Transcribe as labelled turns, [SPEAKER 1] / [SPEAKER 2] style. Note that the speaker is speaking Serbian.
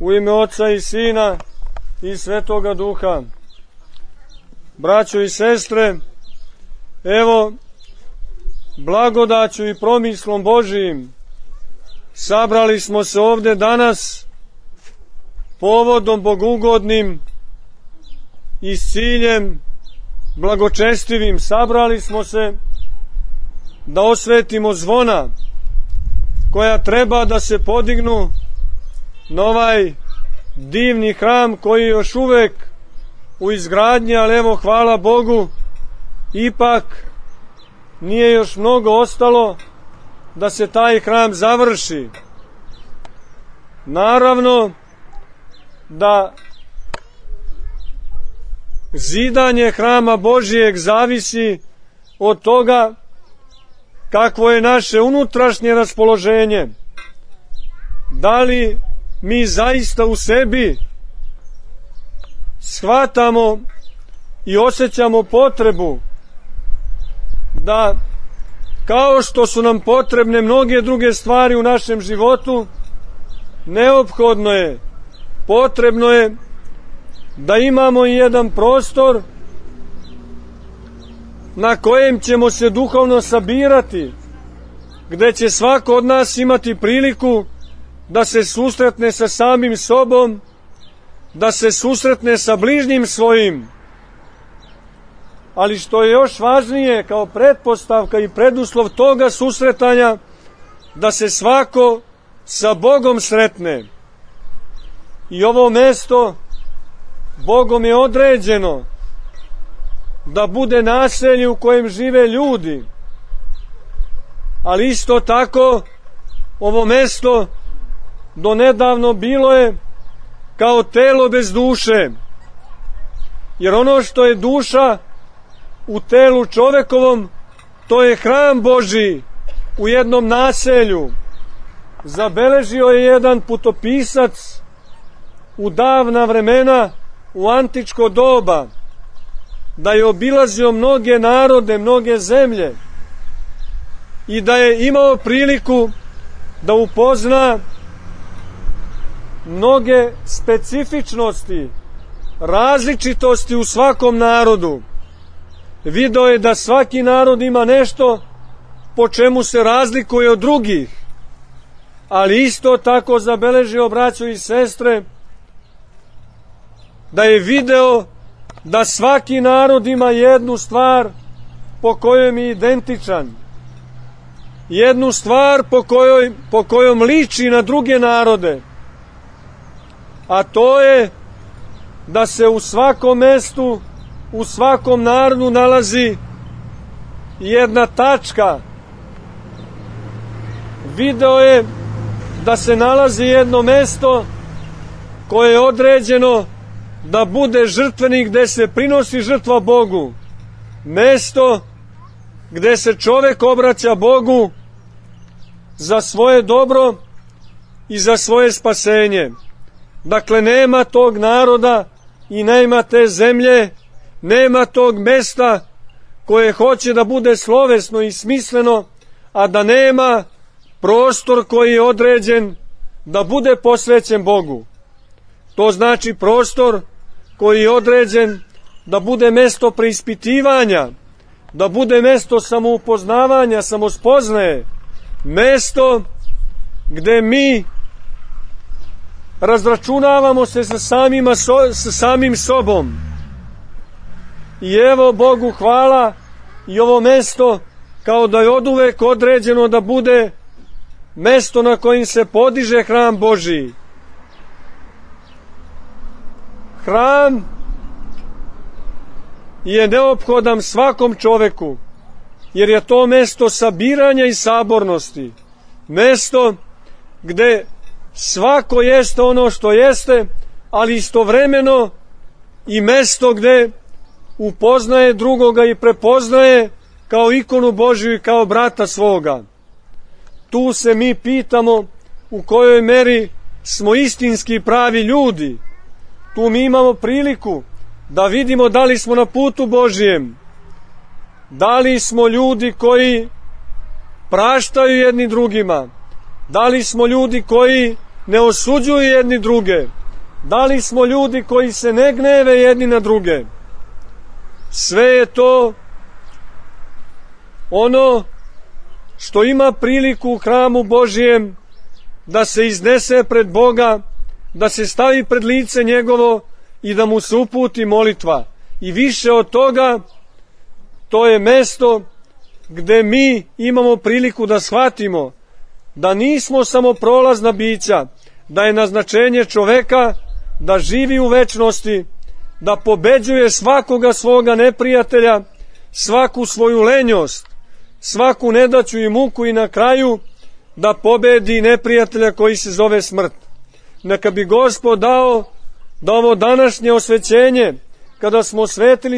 [SPEAKER 1] U ime Oca i Sina i Svetoga Duha. Braćo i sestre, evo, blagodaću i promislom Božijim sabrali smo se ovde danas povodom bogugodnim i s ciljem blagočestivim. Sabrali smo se da osvetimo zvona koja treba da se podignu na ovaj divni hram koji je još uvek u izgradnji, ali evo, hvala Bogu, ipak nije još mnogo ostalo da se taj hram završi. Naravno da zidanje hrama Božijeg zavisi od toga kakvo je naše unutrašnje raspoloženje. Da li mi zaista u sebi shvatamo i osjećamo potrebu da, kao što su nam potrebne mnoge druge stvari u našem životu, neophodno je, potrebno je da imamo i jedan prostor na kojem ćemo se duhovno sabirati, gde će svako od nas imati priliku da se susretne sa samim sobom, da se susretne sa bližnjim svojim, ali što je još važnije kao pretpostavka i preduslov toga susretanja, da se svako sa Bogom sretne. I ovo mesto Bogom je određeno da bude naselje u kojem žive ljudi, ali isto tako ovo mesto donedavno bilo je kao telo bez duše, jer ono što je duša u telu čovekovom, to je hram Božiji u jednom naselju. Zabeležio je jedan putopisac u davna vremena, u antičko doba, da je obilazio mnoge narode, mnoge zemlje i da je imao priliku da upozna mnoge specifičnosti, različitosti u svakom narodu. Video je da svaki narod ima nešto po čemu se razlikuje od drugih, ali isto tako zabeležio, braćo i sestre, da je video da svaki narod ima jednu stvar po kojoj je identičan, jednu stvar po kojom liči na druge narode, a to je da se u svakom mestu, u svakom narodu nalazi jedna tačka. Video je da se nalazi jedno mesto koje je određeno da bude žrtvenik, gde se prinosi žrtva Bogu, mesto gde se čovek obraća Bogu za svoje dobro i za svoje spasenje. Dakle, nema tog naroda i nema te zemlje, nema tog mesta koje hoće da bude slovesno i smisleno, a da nema prostor koji je određen da bude posvećen Bogu. To znači prostor koji je određen da bude mesto preispitivanja, da bude mesto samoupoznavanja, samospoznaje, mesto gde mi razračunavamo se sa samim sobom. I evo, Bogu hvala, i ovo mesto kao da je oduvek određeno da bude mesto na kojim se podiže hram Božiji. Hram je neophodan svakom čoveku, jer je to mesto sabiranja i sabornosti, mesto gde svako jeste ono što jeste, ali istovremeno i mesto gde upoznaje drugoga i prepoznaje kao ikonu Božju i kao brata svoga. Tu se mi pitamo u kojoj meri smo istinski pravi ljudi. Tu mi imamo priliku da vidimo da li smo na putu Božijem, da li smo ljudi koji praštaju jedni drugima, da li smo ljudi koji ne osuđuju jedni druge? Da li smo ljudi koji se ne gneve jedni na druge? Sve je to ono što ima priliku u hramu Božijem da se iznese pred Boga, da se stavi pred lice njegovo i da mu se uputi molitva. I više od toga, to je mesto gde mi imamo priliku da shvatimo da nismo samo prolazna bića, da je naznačenje čoveka da živi u večnosti, da pobeđuje svakoga svoga neprijatelja, svaku svoju lenjost, svaku nedaću i muku i na kraju da pobedi neprijatelja koji se zove smrt. Neka bi Gospod dao da ovo današnje osvećenje, kada smo svetili